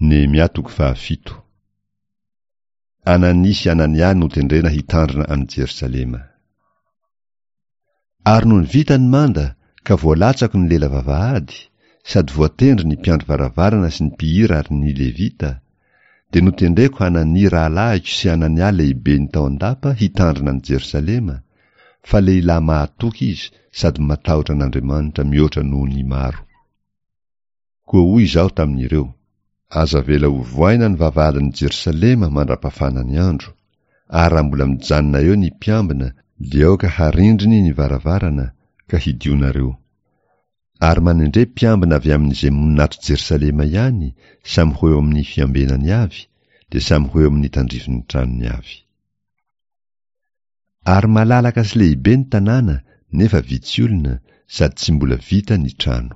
Nehemia toko fahafito. Anania sy Anania notendrena hitandrina an'i Jerosalema. Ary nony vita ny manda ka voalatsako ny lela vavahady, sady voatendry ny mpiandry varavarana sy ny mpihira ary ny Levita, dia notendreko Hanania rahalahiko sy Hanania lehibeny tao an-dapa hitandrina an'i Jerosalema, fa lehilahy mahatoky izy sady matahotra an'Andriamanitra mihoatra noho ny maro. Koa hoy izaho tamin'ireo, Aza avela ho vohaina ny vavahadin'i Jerosalema mandra-pafana ny andro, ary raha mbola mijanona eo ny mpiambina, dia aoka harindriny ny varavarana, ka hidionareo. Ary manendre mpiambina avy amin'izay monina ato Jerosalema ihany, samy ho eo amin'ny fiambenany avy, dia samy ho eo amin'ny tandrifin'ny tranony avy. Ary malalaka sy lehibe ny tanàna nefa vitsy olona sady tsy mbola vita ny trano.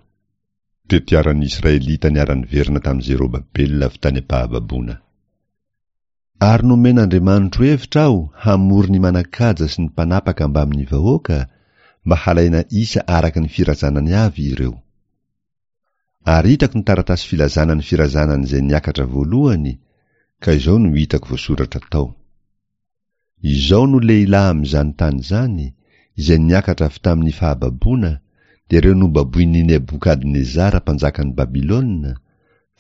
Tetiaran'ny Israelita niara-niverina tamin'i Zerobabela avy tany am-pahababoana. Ary nomen'Andriamanitro hevitra aho hamory ny manan-kaja sy ny mpanapaka mbamin'ny vahoaka mba halaina isa araka ny firazanany avy ireo. Ary hitako ny taratasy filazana ny firazanan'izay niakatra voalohany, ka izao no hitako voasoratra tao. Izao no lehilahy amin'izany tany izany, izay niakatra avy tamin'ny fahababoana, dia ireo nobaboin'i Nebokadnezara mpanjakan'i Babylona,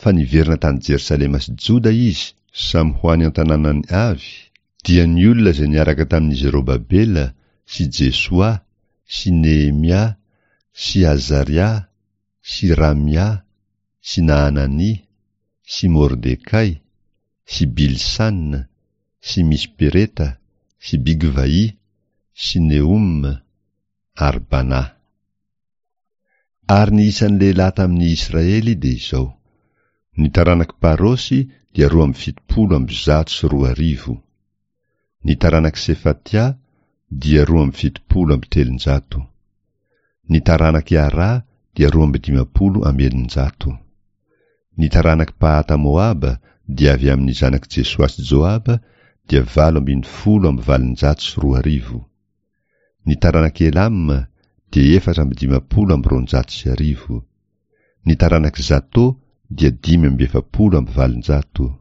fa niverina tany Jerosalema sy Joda izy, samy ho any an-tanànany avy, dia ny olona izay niaraka tamin'i Zerobabela sy Jesoa sy Nehemia sy Azaria sy Ramia sy Nahanania sy Mordekay sy Bilsana sy Mispereta sy Bigvaì sy Nehoma ary Banà. Ary ny isan'ny lehilahy tamin'ny Israely dia izao, ny taranak'i Parosy dia 272, ny taranak'i Sefatia dia 372, ny taranak'i Arà dia 652. Ny taranak'i Pahata-Moaba dia avy amin'ny zanak'i Jesoa sy Joaba dia 218. Ny taranak'i Elama dia 254. Ny taranak'i Zato dia 845.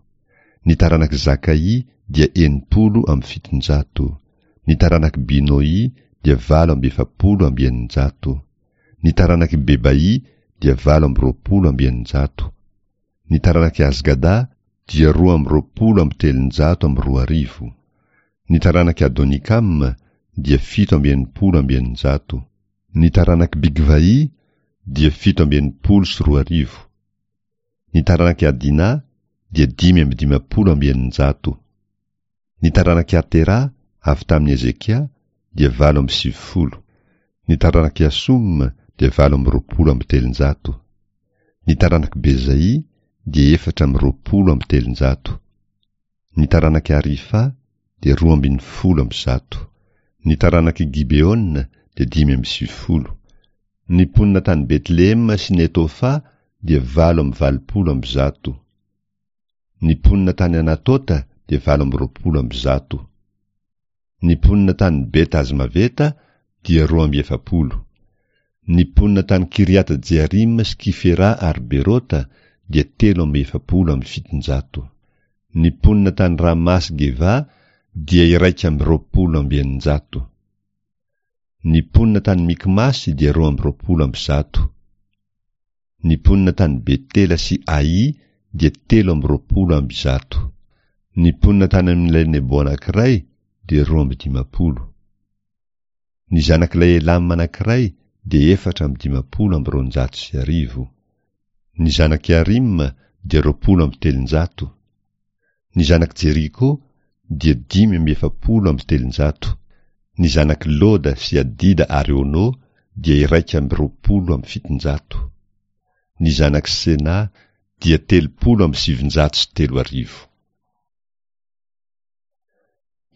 Ny taranak'i Zakaì dia 760. Ny taranak'i Binoì dia 648. Ny taranak'i Bebaì dia 628. Ny taranak'i Azgada dia 322. Ny taranak'i Adonikama dia 667. Ny taranak'i Bigvaì dia 2067. Ny taranak'i Adina dia 655. Ny taranak'i Atera avy tamin'i Hezekia dia 98. Ny taranak'i Asoma dia 328. Ny taranak'i Bezaì dia 324. Ny taranak'i Arifa dia 112. Ny taranak'i Gibeona dia 95. Ny mponina tany Betlehema sy Netofa dia 188. Ny mponina tany Anatota dia 128. Ny mponina tany Beta-Azmaveta dia 42. Ny mponina tany Kiriata-Jearima sy Kifera ary Berota dia 743. Ny mponina tany Rama sy Geva dia 621. Ny mponina tany Mikmasy dia 122. Ny mponina tany Betela sy Aï dia 123. Ny mponina tany amin'ilay Nebo anankiray dia 52. Ny zanak'ilay Elama anankiray dia 254. Ny zanak'i Arima dia 320. Ny zanak'i Jeriko dia 345. Ny zanak'i Loda sy Adida ary Ono dia 721. Ny zanak'i Sena dia 930.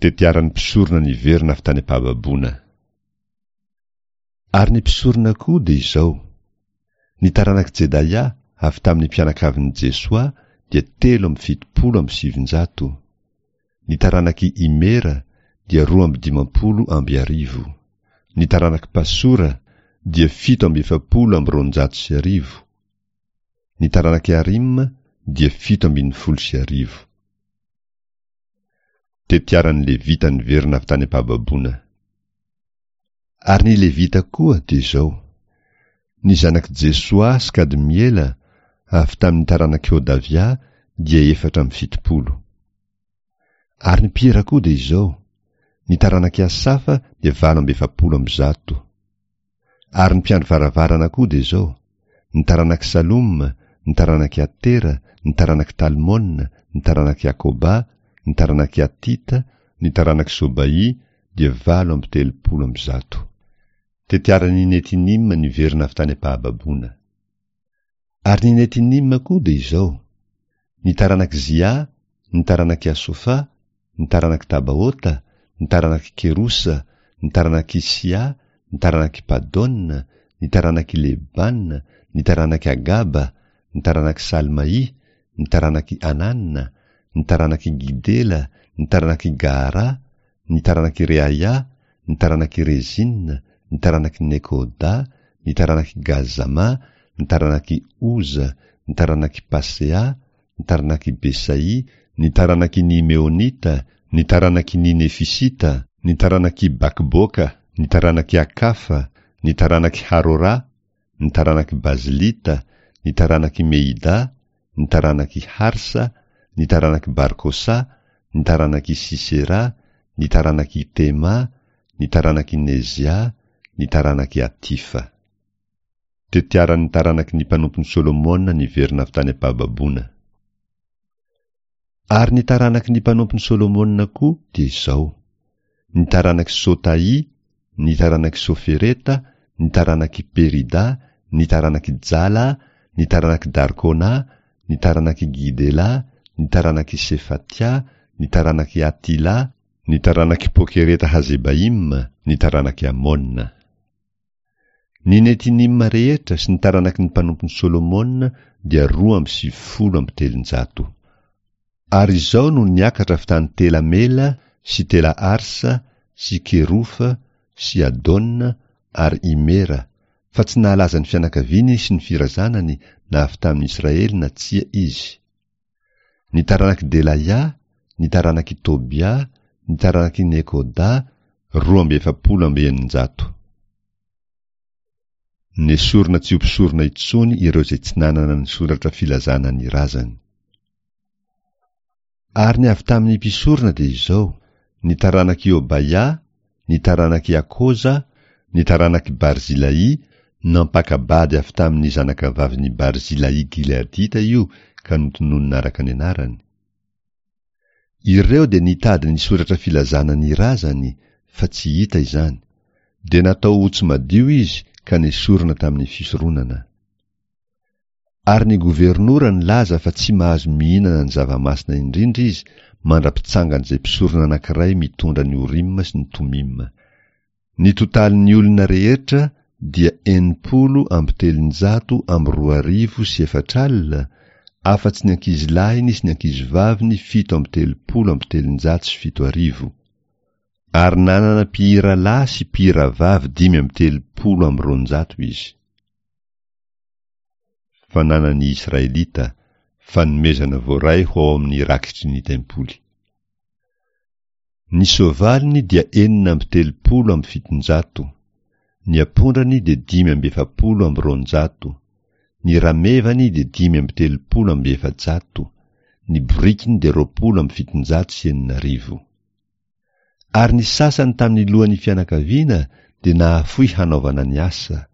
Tetiaran'ny mpisorona niverina avy tany am-pahababoana. Ary ny mpisorona koa dia izao, ny taranak'i Jedaia avy tamin'ny mpianakavin'i Jesoa dia 973, ny taranak'i Imera dia 1152, ny taranak'i Pasora dia 247, ny taranak'i Harima. dia 1017. Tetiaran'ny Levita niverina avy tany am-pahababoana. Ary ny Levita koa dia izao, Ny zanak'i Jesoa sy Kadmiela, avy tamin'ny taranak'i Hodavia, dia 74. Ary ny mpihira koa dia izao, Ny taranak'i Asafa dia 148. Ary ny mpiandry varavarana koa dia izao, Ny taranak'i Saloma, ny taranak'i Atera, ny taranak'i Talmona, ny taranak'i Akoba, ny taranak'i Atita, ny taranak'i Sobaỳ dia 138. Tetiaran'ny Netinima niverina avy tany am-pahababoana. Ary ny Netinima koa dia izao, Ny taranak'i Zia, ny taranak'i Asofa, ny taranak'i Tabaota, ny taranak'i Kerosa, ny taranak'i Sia, ny taranak'i Padona, ny taranak'i Lebana, ny taranak'i Agaba, ny taranak'i Salmaì, ny taranak'i Anana, ny taranak'i Gidela, ny taranak'i Gahara, ny taranak'i Reaia, ny taranak'i Rezina, ny taranak'i Nekoda, ny taranak'i Gazama, ny taranak'i Oza, ny taranak'i Pasea, ny taranak'i Besai, ny taranaky ny Meonita, ny taranaky ny Nefisita, ny taranak'i Bakboka, ny taranak'i Akafa, ny taranak'i Harora, ny taranak'i Bazlita, ny taranak'i Mehida, ny taranak'i Harsa, ny taranak'i Barkosa, ny taranak'i Sisera, ny taranak'i Tema, ny taranak'i Nezia, ny taranak'i Atifa. Tetiaran'ny taranaky ny mpanompon'i Solomona niverina avy tany am-pahababoana. Ary ny taranaky ny mpanompon'i Solomona koa dia izao, ny taranak'i Sotaì, ny taranak'i Sofereta, ny taranak'i Perida, ny taranak'i Jala, ny taranak'i Darkona, ny taranak'i Gidela, ny taranak'i Sefatia, ny taranak'i Atila, ny taranak'i Pokereta-hazebaima, ny taranak'i Amona. Ny Netinima rehetra sy ny taranaky ny mpanompon'i Solomona dia 392. Ary izao no niakatra avy tany Tela-Mela sy Tela-Arsa sy Kerofa sy Adona ary Imera, fa tsy nahalaza ny fianakaviany sy ny firazanany na avy tamin'i Israely na tsia izy. Ny taranak'i Delaia, ny taranak'i Tobia, ny taranak'i Nekoda, 642. Nesorina tsy ho mpisorona intsony ireo izay tsy nanana ny soratra filazana ny razany. Ary ny avy tamin'ny mpisorona dia izao, ny taranak'i Hobaia, ny taranak'i Akoza, ny taranak'i Barzilaì, nampaka-bady avy tamin'ny zanakavavin'i Barzilaì Gileadita io ka notononina araka ny anarany. Ireo dia nitady ny soratra filazana ny razany, fa tsy hita izany. Dia natao ho tsy madio izy ka nesorina tamin'ny fisoronana. Ary ny governora nilaza fa tsy mahazo mihinana ny zava-masina indrindra izy mandra-pitsangan'izay mpisorona anankiray mitondra ny Orima sy ny Tomima. Ny totalin'ny olona rehetra dia 360 340, afa-tsy ny ankizilahiny sy ny ankizivaviny 337. Ary nanana mpihira lahy sy mpihira vavy 235 izy. Fananan'ny Israelita, fanomezana voaray ho ao amin'ny rakitry ny tempoly. Ny soavaliny dia 736, ny ampondrany dia 245, ny ramevany dia 435, ny borikiny dia 620. Ary ny sasany tamin'ny lohan'ny fianakaviana dia nahafoy hanaovana ny asa.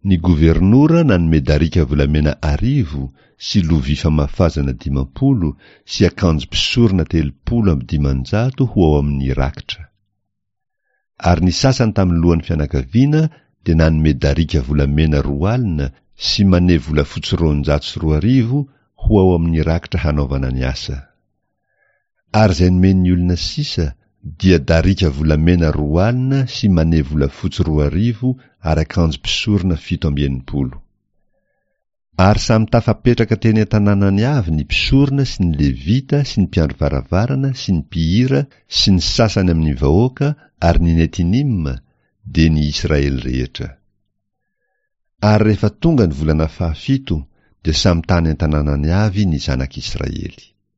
Ny governora nanome darika volamena arivo sy lovia famafazana 50 sy akanjo mpisorona 530 ho ao amin'ny rakitra. Ary ny sasany tamin'ny lohan'ny fianakaviana dia nanome darika volamena 20 sy mane volafotsy 20 200 ho ao amin'ny rakitra hanaovana ny asa. Ary izay nomen'ny olona sisa dia darika volamena 20 sy mane volafotsy 2000 ary akanjo mpisorona 67. Ary samy tafapetraka teny an-tanànany avy ny mpisorona sy ny Levita sy ny mpiandry varavarana sy ny mpihira sy ny sasany amin'ny vahoaka ary ny Netinima, dia ny Israely rehetra. Ary rehefa tonga ny volana fahafito, Dia samy tany an-tanànany avy ny zanak'Israely.